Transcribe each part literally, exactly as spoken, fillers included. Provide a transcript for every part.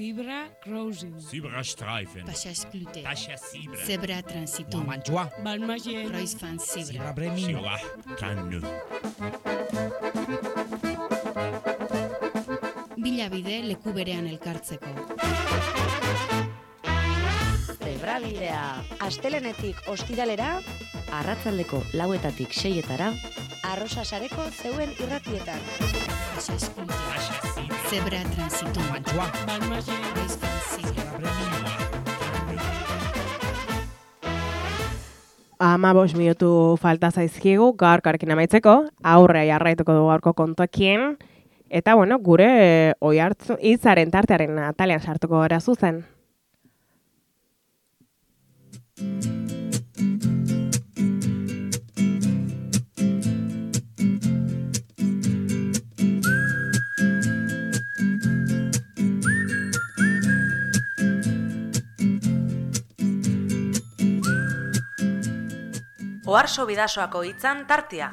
Zebra crossing. Zebrastreifen. Passage Passage Zebra transitum. Mantua. Balmagien. Kreuzfahrt Zebra. Zebra Bremin. Zebra Kannu. Bilabide leku berean elkartzeko. Zebrabidea, astelenetik ostiralera, arratsaldeko lauetatik seietara, arrosa sareko zeuen irratietan. Passage Passage Zebra transitum. Mantua. Balmagien. Kreuzfahrt Zebra. Zebra Bremin. Ama bost minutu falta zaizkigu gaurkoarekin amaitzeko, aurrea jarraituko dugu gaurko kontuekin, eta bueno, gure oihartzu hitzaren tartearen atalean sartuko gara zuzen. Oharso Bidasoako hitzan tartea.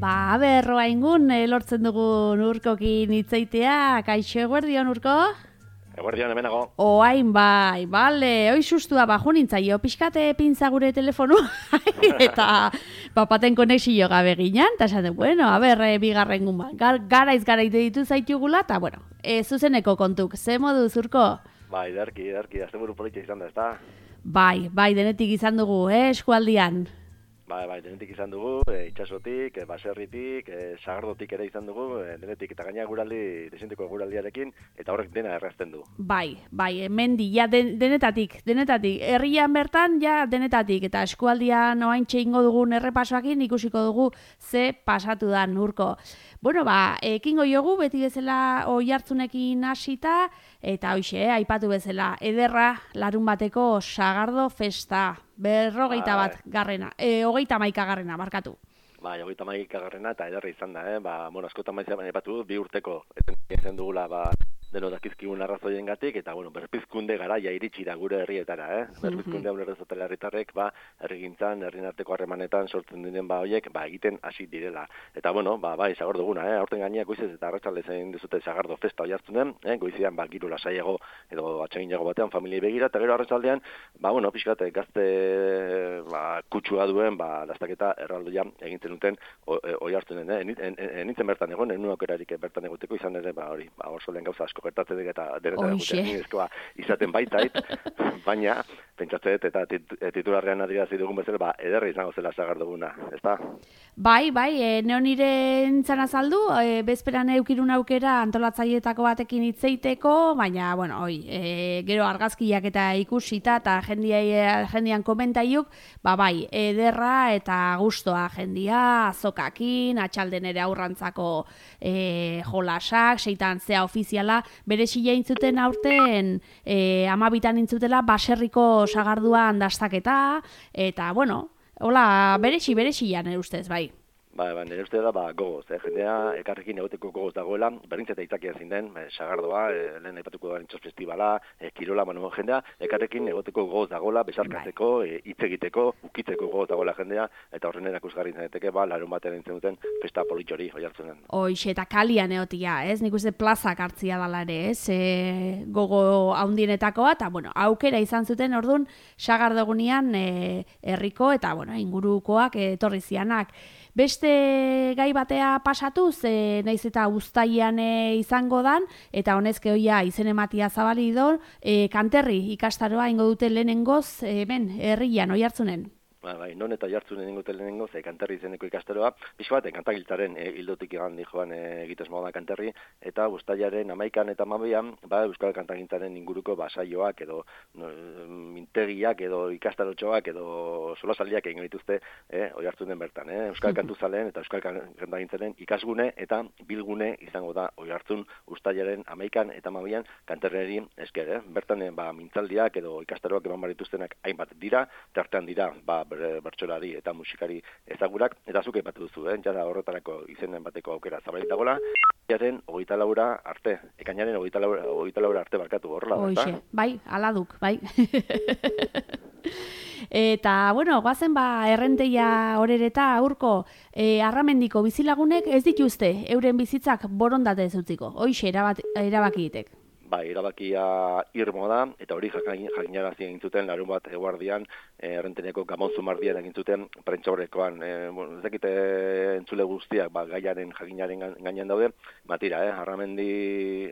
Ba, berroa ingun, e, lortzen dugun urkokin hitzaitea, kaixo eguerdion urko? Eguerdion hemenago. Oain bai, bale, oi sustua baju nintzaio, pixkate pintza gure telefonu, eta papaten konexio gabe ginen, eta esan, bueno, a ber, e, bigarren gumba, Gar, garaiz garaitu ditu zaitugula, eta bueno, e, zuzeneko kontuk, ze modu zurko? Bai, ederki, ederki, asteburu politia izan da, ezta? Bai, bai, denetik izan dugu, eh, eskualdian. Bai, bai, denetik izan dugu, e, itxasotik, e, baserritik, e, sagardotik ere izan dugu, e, denetik, eta gaina guraldi, desinteko guraldiarekin, eta horrek dena errazten du. Bai, bai, mendi, ja, den, denetatik, denetatik, herrian bertan, ja, denetatik, eta eskualdian oaintxe ingo dugun errepasoakin ikusiko dugu ze pasatu da urko. Bueno, ba, ekingo jogu, beti bezala oihartzunekin hasita, eta hoxe, eh, aipatu bezala, ederra larun bateko sagardo festa, berrogeita bat garrena, e, hogeita maika garrena, barkatu. Bai, hogeita maika garrena, eta ederra izan da, eh? Ba, bueno, askotan maizia aipatu, bi urteko, eten dugula, ba, deno dakizkigun arrazoien gatik, eta, bueno, berpizkunde garaia iritsi da gure herrietara, eh? Berpizkunde hau errezotela herritarrek, ba, herrigintzan, herrin arteko harremanetan sortzen diren, ba, hoiek, ba, egiten hasi direla. Eta, bueno, ba, bai, sagardo duguna, eh? Aurten gainea goizez eta arratsalde zein dizute sagardo festa oihartzunen, eh? Goizean, ba, giru lasaiago, edo atseginago batean, familiei begira, eta gero arratsaldean, ba, bueno, pixkat, gazte, ba, kutsua duen, ba, dastaketa erraldoia egintzen duten oihartzunen, eh? Enitzen bertan egon, enun aukerarik bertan egoteko izan ere, ba, hori, ba, orsolen gauza asko gertatzen dut eta denetan eguteko izaten baitait, baina pentsatzen dut eta titularrean adirazi dugun bezala, ba, ederra izango zela sagar duguna, ezta? Bai, bai, e, neo nire entzan azaldu, e, bezperan eukirun aukera antolatzaileetako batekin hitzeiteko, baina, bueno, oi, e, gero argazkiak eta ikusita eta jendia, jendian komentaiuk, ba, bai, ederra eta gustoa jendia, azokakin, atxalden ere aurrantzako e, jolasak, seitan zea ofiziala, bere xila intzuten aurten e, amabitan intzutela baserriko sagarduan dastaketa, eta, bueno, hola, berexi, berexian, nire ustez, bai. Ba, ba, nire uste da, ba, gogoz, eh? Jendea ekarrekin egoteko gogoz dagoela, berdintzeta izakia zein den, e, sagardoa, e, lehen aipatuko da nintxos festivala, e, kirola, bueno, jendea ekarrekin egoteko gogoz dagoela, besarkatzeko, e, hitz egiteko, ukitzeko gogoz dagoela jendea, eta horren erakusgarri zeneteke, ba, larun batean entzen duten festa politxori oihartzunen. Hoixe, eta kalian egotia, ez? Nik uste plazak hartzia dala ere, ez? E, gogo haundienetakoa, eta, bueno, aukera izan zuten, orduan, sagardogunean e, herriko eta, bueno, ingurukoak etorri zianak. Beste gai batea pasatuz, e, naiz eta uztailean e, izango dan, eta honezke hoia izen ematia zabali do, e, kanterri ikastaroa ingo dute lehenengoz, e, ben, herrian, oihartzunen. Ba, bai, non eta jartzunen ingote lehenengo, ze kanterri izeneko ikastaroa, pixko bat, kantagiltzaren e, hildotik egan dijoan e, egitez moda kanterri, eta uztailaren amaikan eta amabian, ba, euskal kantagintzaren inguruko basaioak, edo no, mintegiak, edo ikastarotxoak, edo solasaldiak egin dituzte, e, oihartzunen bertan, eh? Euskal kantuzaleen eta euskal kantagintzaren ikasgune eta bilgune izango da oihartzun uztailaren amaikan eta amabian kanterreri esker, eh? Bertan, e, ba, mintzaldiak edo ikastaroak eman barituztenak hainbat dira, tartean dira, ba, bertsolari eta musikari ezagurak, eta zuk aipatu duzu, eh? Jada horretarako izenen bateko aukera zabalik dagoela, ekainaren hogeita laura arte, ekainaren hogeita laura arte barkatu horrela, Oixe, bai, aladuk, bai. Eta, bueno, guazen ba, errenteia horereta aurko e, arramendiko bizilagunek ez dituzte euren bizitzak borondate ez utziko. Hoixe erabakitek. Bai, erabakia irmo da, eta hori jakinarazi egin zuten, larun bat eguardian, errenteneko Gamon Zumardian egin zuten prentsaurrekoan. E, bueno, ez dakite entzule guztiak, ba, gaiaren jakinaren gainean daude, batira, eh, arramendi,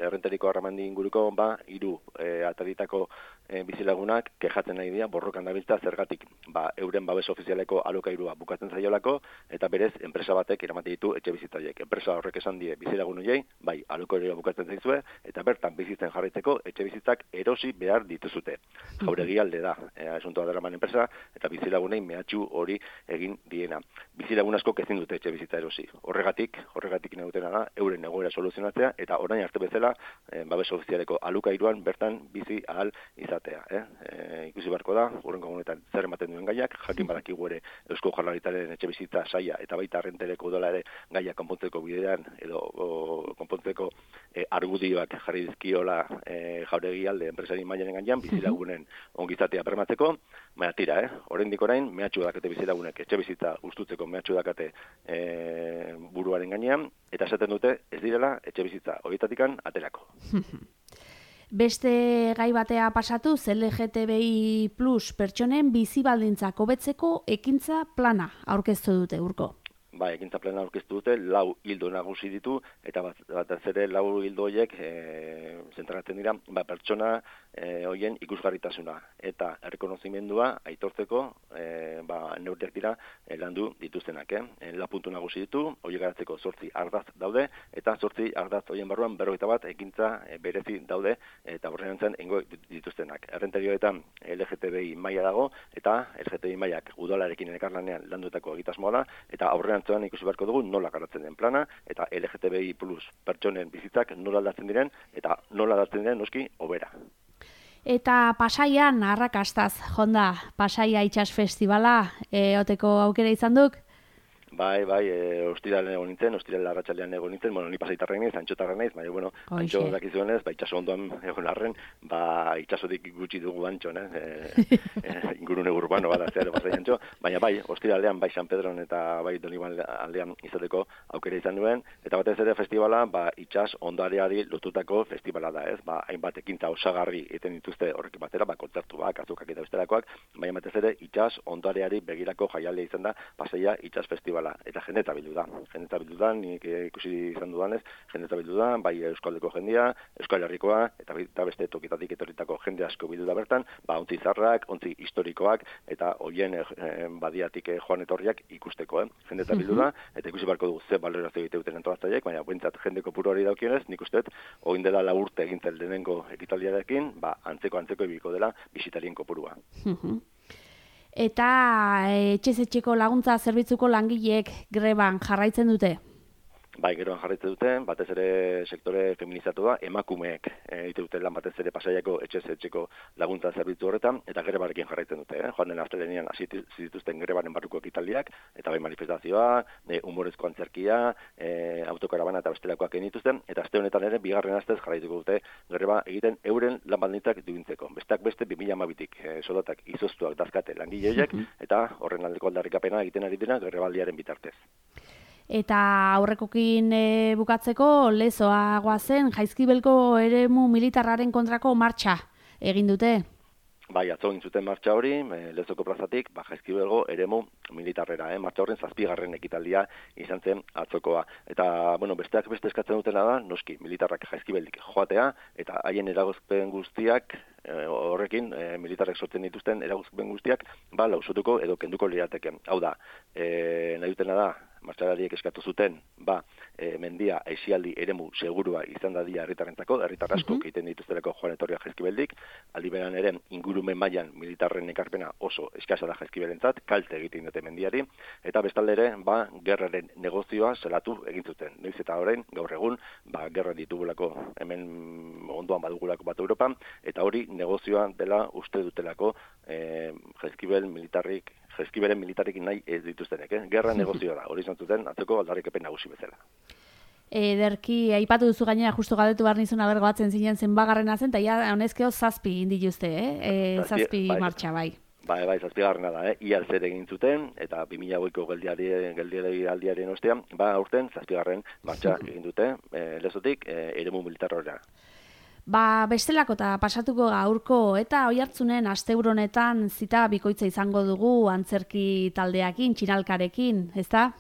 errenteriko arramendi inguruko, ba, hiru e, ataritako e, bizilagunak kejatzen nahi dira, borrokan dabiltza, zergatik, ba, euren babes ofizialeko alokairua bukatzen zaiolako, eta berez, enpresa batek eramate ditu etxe bizitzaiek. Enpresa horrek esan die bizilagun hoiei, bai, alokairua bukatzen zaizue, eta bertan bizitzen jarraitzeko etxe bizitzak erosi behar dituzute. Jauregi alde da, e, asuntoa daraman enpresa, eta bizilagunei mehatxu hori egin diena. Bizilagun asko ezin dute etxe bizitza erosi. Horregatik, horregatik negutena da, euren egoera soluzionatzea, eta orain arte bezala, e, babes ofizialeko alukairuan bertan bizi ahal izatea. Eh? E, ikusi beharko da, urrengo egunetan zer ematen duen gaiak, jakin badakigu ere Eusko Jaurlaritzaren etxe bizitza saia, eta baita errentereko udola ere gaia konpontzeko bidean, edo o, konpontzeko e, argudioak jarri dizkiola E, jauregi alde enpresari mailaren gainean bizilagunen ongizatea bermatzeko, baina tira, eh? Oraindik orain mehatxu dakate bizilagunek etxe bizitza ustutzeko mehatxu dakate e, buruaren gainean, eta esaten dute ez direla etxe bizitza horietatikan aterako. Beste gai batea pasatu, L G T B I plus pertsonen bizi baldintzak hobetzeko ekintza plana aurkeztu dute urko. Ba, ekintza plana aurkeztu dute, lau hildo nagusi ditu, eta bat, batez ere lau hildo horiek e, zentratzen dira, ba, pertsona e, horien ikusgarritasuna eta errekonozimendua aitortzeko e, ba, neurriak dira e, landu dituztenak. Eh? La puntu nagusi ditu, horiek garatzeko zortzi ardaz daude, eta zortzi ardaz horien barruan berrogeita bat ekintza e, berezi daude, eta horrean zen ingo dituztenak. Errenterioetan L G T B I maila dago, eta L G T B I mailak udalarekin elkarlanean landutako egitasmoa da, eta aurrean ikusi beharko dugu nola garatzen den plana, eta L G T B I plus pertsonen bizitzak nola aldatzen diren, eta nola aldatzen diren noski hobera. Eta Pasaian arrakastaz, jonda, Pasaia Itsas Festivala, eoteko aukera izan duk? Bai, bai, e, ostiralen egon nintzen, ostiralen arratsalean egon nintzen, bueno, ni pasaitarren naiz, antxotarren naiz, baina, bueno, antxo dakizuenez, ba, itxaso ondoan egon arren, ba, itxasotik gutxi dugu antxon, eh? E, e, ingurune urbano bada zeharo pasai antxo, baina bai, ostiralean, bai San Pedron eta bai Doniban aldean izateko aukera izan duen, eta batez ere festivala, ba, itxas ondareari lotutako festivala da, ez? Ba, hainbat ekintza osagarri egiten dituzte horrekin batera, ba, kontzertuak, azukak eta bestelakoak, baina batez ere itxas ondareari begirako jaialdia izan da, Pasaia Itsas Festivala. Eta jendeta bildu da. Jendeta bildu da, nik ikusi izan dudanez, jendeta bildu da, bai Euskaldeko jendia, Euskal Herrikoa, eta, eta beste tokitatik etorritako jende asko bildu da bertan, ba, ontzi zarrak, ontzi historikoak, eta hoien eh, badiatik eh, joan etorriak ikusteko, eh? Jendeta bildu da, eta ikusi barko dugu ze balorazio egite duten antolatzaileek, baina buentzat jendeko puro hori daukionez, nik uste, oin dela la urte egintzen lehenengo ekitaldiarekin, ba, antzeko antzeko ibiko dela bisitarien kopurua. Eta etxez-etxeko laguntza zerbitzuko langileek greban jarraitzen dute? Bai, geroan jarraitzen dute, batez ere sektore feminizatu da, emakumeek egite dute lan batez ere Pasaiako etxez-etxeko laguntza zerbitzu horretan, eta grebarekin jarraitzen dute. Eh? Joan den astelehenean hasi zituzten grebaren barruko ekitaldiak, eta bai manifestazioa, e, humorezko antzerkia, e, autokarabana eta bestelakoak egin dituzten, eta aste honetan ere bigarren astez jarraituko dute greba egiten euren lan baldintzak duintzeko. Besteak beste bi mila hamabitik e, soldatak izoztuak dazkate langileek, eta horren aldeko aldarrikapena egiten ari dira grebaldiaren bitartez. Eta aurrekokin e, bukatzeko lezoa goazen Jaizkibelko eremu militarraren kontrako martxa egin dute. Bai, atzo egin zuten martxa hori, e, Lezoko plazatik, ba, Jaizkibelgo eremu militarrera, eh? Martxa horren zazpigarren ekitaldia izan zen atzokoa. Eta, bueno, besteak beste eskatzen dutena da, noski, militarrak Jaizkibeldik joatea, eta haien eragozpen guztiak, e, horrekin, e, militarrek sortzen dituzten eragozpen guztiak, ba, lausotuko edo kenduko lirateke. Hau da, e, nahi dutena da, martxalariek eskatu zuten, ba, e, mendia aisialdi eremu segurua izan dadia herritarrentzako, herritar asko egiten dituzteleko joan etorria Jaizkibeldik, aldi beran ere ingurumen mailan militarren ekarpena oso eskasa da Jaizkibelentzat, kalte egiten dute mendiari, eta bestalde ere, ba, gerraren negozioa zelatu egin zuten. Noiz eta orain, gaur egun, ba, gerra ditugulako, hemen ondoan badugulako bat Europan, eta hori negozioa dela uste dutelako e, Jaizkibel militarrik Jaizkibelen militarekin nahi ez dituztenek, eh? Gerra negozioa da, hori izan zuten atzeko aldarrikapen nagusi bezala. Ederki, aipatu duzu gainera, justu galdetu behar nizun abergoatzen zinen zen bagarrena zen, eta ja honezkeo zazpi indituzte, eh? E, zazpi bai, martxa, bai. Bai, bai, zazpigarrena da, eh? Iaz ere egin zuten, eta bi mila hogeiko geldialdiaren ostean, ba, aurten zazpigarren martxa egin dute, e, lezotik, e, eremu militarrora. Ba, bestelako eta pasatuko gaurko eta oihartzunen asteburu honetan zita bikoitza izango dugu antzerki taldeakin, txinalkarekin, ezta?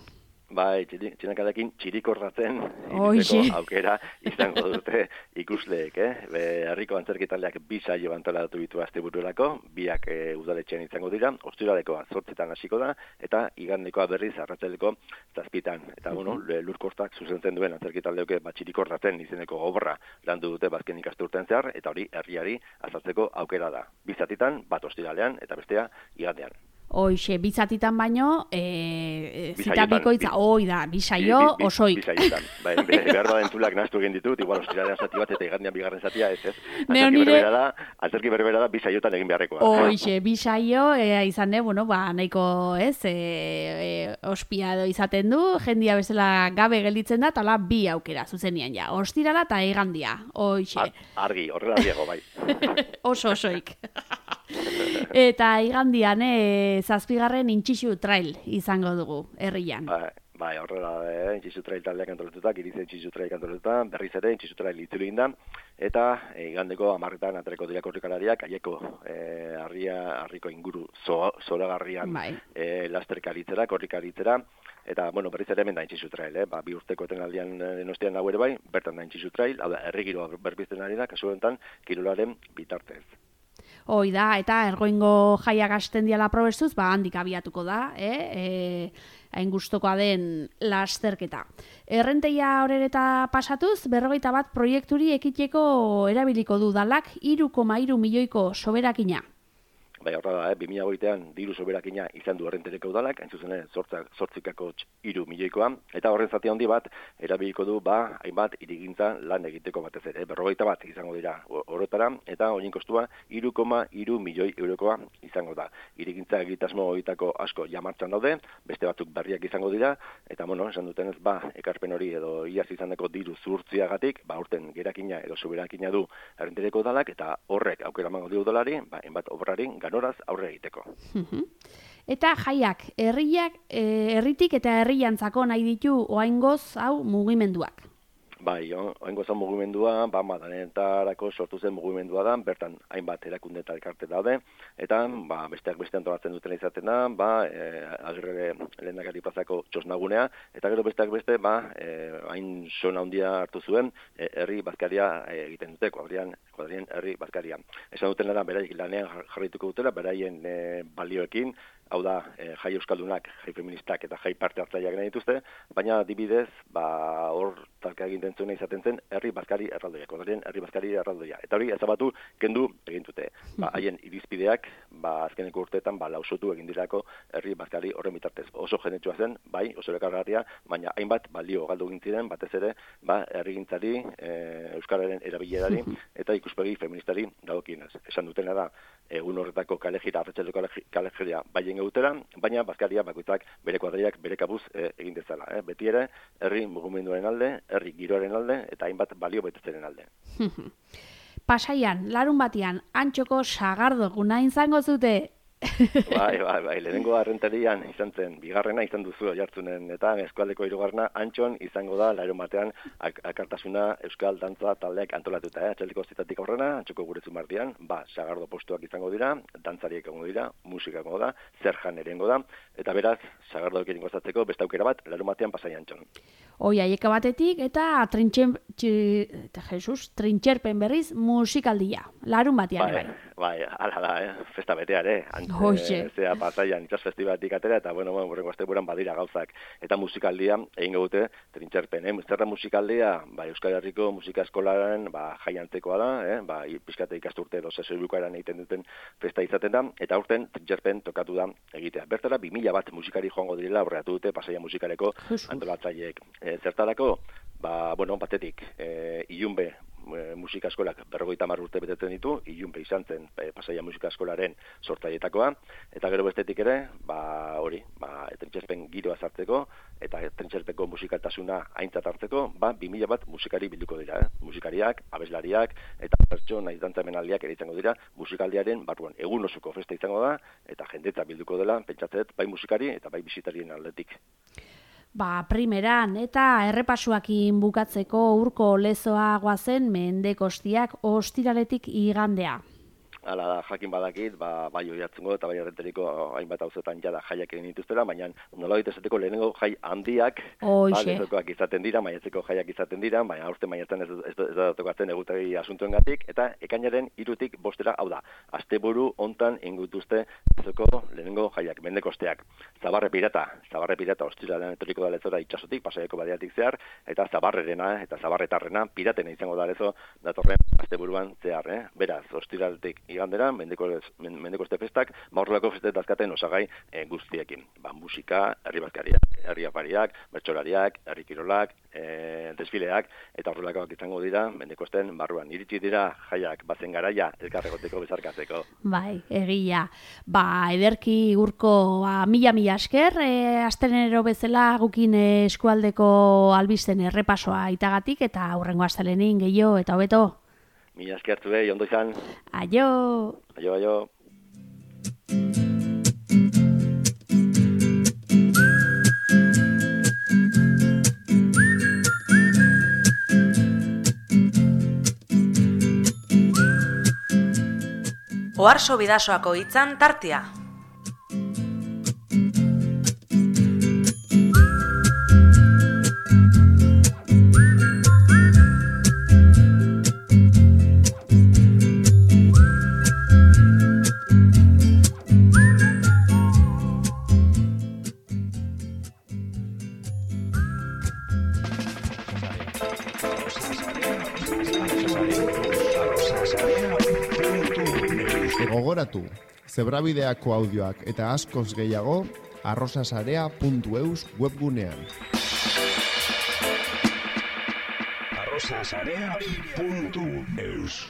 Bai, txinalkarekin txirikorratzen Oixe. aukera izango dute ikusleek, eh? Be, herriko antzerki taldeak bi saio antolatu ditu astebururako, biak e, udaletxean izango dira, ostiralekoa zortzitan hasiko da, eta igandekoa berriz arratsaleko zazpitan. Eta, bueno, lurkortak zuzentzen duen antzerki taldeoke bat txirikorratzen izeneko obra landu dute bazken ikasturten zehar, eta hori herriari azaltzeko aukera da. Bi zatitan, bat ostiralean, eta bestea igandean. Hoixe, bizatitan baino, e, zita bikoitza, hoi da, bisaio osoik. Bisaiotan, bai, behar da entzulak nahaztu egin ditut, igual ostiralean zati bat eta igandean bigarren zatia, ez ez. Antzerki berbera da, antzerki berbera da bisaiotan egin beharrekoa. Hoixe, bisaio, e, izan ne, bueno, ba, nahiko, ez, e, e, ospia edo izaten du, jendia bezala gabe gelditzen da, tala bi aukera, zuzenian ja, ostirala eta igandia, hoixe. Argi, horrela diego, bai. Oso osoik. Eta igandian, e, zazpigarren intxixu trail izango dugu, herrian. Bai, bai, horrela, eh, intxixu trail taldeak antolatuta, girize intxixu trail antolatuta, berriz ere intxixu trail itzuli da, eta e, igandeko amarretan atereko dira korrikalariak, aieko e, harria, harriko inguru zo, zoragarrian bai. e, lasterkaritzera, korrikaritzera, eta, bueno, berriz ere hemen da intxixu trail, eh? Ba, bi urteko etenaldian denostian nago ere bai, bertan da intxixu trail, hau da, herri giroa berbizten ari da, kasu honetan, kirolaren bitartez. Hoi da, eta ergoingo jaiak hasten diala probestuz, ba, handik abiatuko da, eh? E, hain gustokoa den lasterketa. Errenteia horreta pasatuz, berrogeita bat proiekturi ekiteko erabiliko du dalak, hiru koma hiru milioiko soberakina. Bai, horra da, eh? bi mila hogeitean diru soberakina izan du errentereko udalak, hain zuzen zortzikako hiru milioikoa, eta horren zati handi bat erabiliko du ba hainbat hirigintza lan egiteko batez ere. Berrogeita bat izango dira horretara, eta horien kostua hiru koma hiru milioi eurokoa izango da. Hirigintza egitasmo horietako asko ja martxan daude, beste batzuk berriak izango dira, eta bueno, esan dutenez ba ekarpen hori edo iaz izandako diru zuhurtziagatik, ba urten gerakina edo soberakina du errentereko udalak, eta horrek aukera emango dio udalari, ba hainbat obrari ganoraz aurre egiteko. Eta jaiak, herriak, herritik eta herriantzako nahi ditu oaingoz hau mugimenduak. Bai, oaingo zan mugimendua, ba, madanetarako sortu zen mugimendua da, bertan hainbat erakunde eta elkarte daude, eta ba, besteak beste antolatzen duten izaten da, ba, e, agirre lehendakari plazako txosnagunea, eta gero besteak beste, ba, e, hain sona handia hartu zuen, e, herri bazkaria e, egiten dute, kuadrian, kuadrien herri bazkaria. Esan duten da, beraik lanean jarrituko dutela, beraien e, balioekin, hau da, e, jai euskaldunak, jai feministak eta jai parte hartzaileak nahi dituzte, baina adibidez, ba, hor talka egin zuena izaten zen herri bazkari erraldoia, kuadrien herri bazkari erraldoia. Eta hori ezabatu kendu egin dute. Ba, haien irizpideak, ba, azkeneko urteetan, ba, lausotu egin dirako herri bazkari horren bitartez. Oso jenetsua zen, bai, oso erakargarria, baina hainbat balio galdu egin ziren, batez ere, ba, herrigintzari, e, euskararen erabilerari eta ikuspegi feministari dagokienez. Esan dutena da, egun horretako kalejira, arratsaleko kalejira baien egutera, baina bazkaria bakoitzak bere kuadriak bere kabuz e, egin dezala. Eh? Beti ere, herri mugimenduaren alde, herri giroaren alde, eta hainbat balio betetzenen alde. Pasaian, larun batian, antxoko sagardo guna izango zute. Bai, bai, bai, lehenengo arrentarian izan zen, bigarrena izan duzu jartzunen, eta eskualdeko hirugarrena antxon izango da, larun batean, ak akartasuna euskal dantza taldeak antolatuta, eh? Atxaldeko zitatik aurrena, antxoko gure zumartian, ba, sagardo postuak izango dira, dantzariek egongo dira, musika egongo da, zer jan erengo da, eta beraz, sagardo ekin gozatzeko, beste aukera bat, larun batean pasai antxon. Oi, aieka batetik, eta trintxen, txi, eta Jesus, trintxerpen berriz musikaldia, larun batean, bai. Bai, ala da, eh? Festa beteare, Hoxe. E, zea pasaian itxas festibaletik atera, eta bueno, bueno, horrengo asteburuan badira gauzak. Eta musikaldia egin dute trintxerpen, eh? Zerra musikaldia, ba, Euskal Herriko musika eskolaren, ba, jaiantzekoa da, eh? Ba, pizkate ikasturte edo sesoibukaeran egiten duten festa izaten da, eta aurten trintxerpen tokatu da egitea. Bertara, bi mila bat musikari joango direla aurreatu dute pasaia musikaleko antolatzaileek. E, zertarako, ba, bueno, batetik, e, ilunbe, musika eskolak berrogeita hamar urte betetzen ditu, ilunpe izan zen e, pasaia musika eskolaren sortzaileetakoa, eta gero bestetik ere, ba hori, ba trentsespen giroa sartzeko eta trentsespeko musikaltasuna aintzat hartzeko, ba bi mila bat musikari bilduko dira, eh? Musikariak, abeslariak eta pertsona dantza-emanaldiak ere izango dira, musikaldiaren barruan egun osoko festa izango da eta jendetza bilduko dela, pentsatzen bai musikari eta bai bisitarien aldetik. Ba, primeran eta errepasuakin bukatzeko urko lezoa goazen Mendekostiak ostiraletik igandea. Hala da, jakin badakit, ba, bai oihartzungo eta bai errenteriko hainbat auzoetan jada jaiak egin dituztela, baina nolabait esateko lehenengo jai handiak, ba, lezokoak izaten dira, maiatzeko jaiak izaten dira, baina aurten maiatzen ez, ez, ez da tokatzen egutegi asuntuengatik, eta ekainaren hirutik bostera, hau da, asteburu hontan ingutuzte lezoko lehenengo jaiak, Mendekosteak. Zabarre pirata, zabarre pirata, ostiralean etorriko da lezora itsasotik, pasaiako badiatik zehar, eta zabarrerena, eta zabarretarrena, piratena izango da lezo, datorren asteburuan zehar, eh? Beraz, ostiraletik igandera, Mendekoste festak, maurrelako festet dazkaten osagai e, guztiekin. Ba, musika, herri bazkariak, herri afariak, bertsolariak, herri kirolak, e, desfileak, eta horrelakoak izango dira, Mendekosten barruan. Iritsi dira jaiak, bazen garaia, elkarregoteko bezarkatzeko. Bai, egia. Ba, ederki urko ba, mila-mila esker, e, astelenero bezala gukin eskualdeko albisten errepasoa itagatik, eta aurrengo astelenin gehiago eta hobeto. Mila eskertu behi, ondo izan. Aio! Aio, aio. Oharso Bidasoako hitzan tartea. Gogoratu, zebrabideako audioak eta askoz gehiago arrosasarea puntu eus webgunean. arrosasarea puntu eus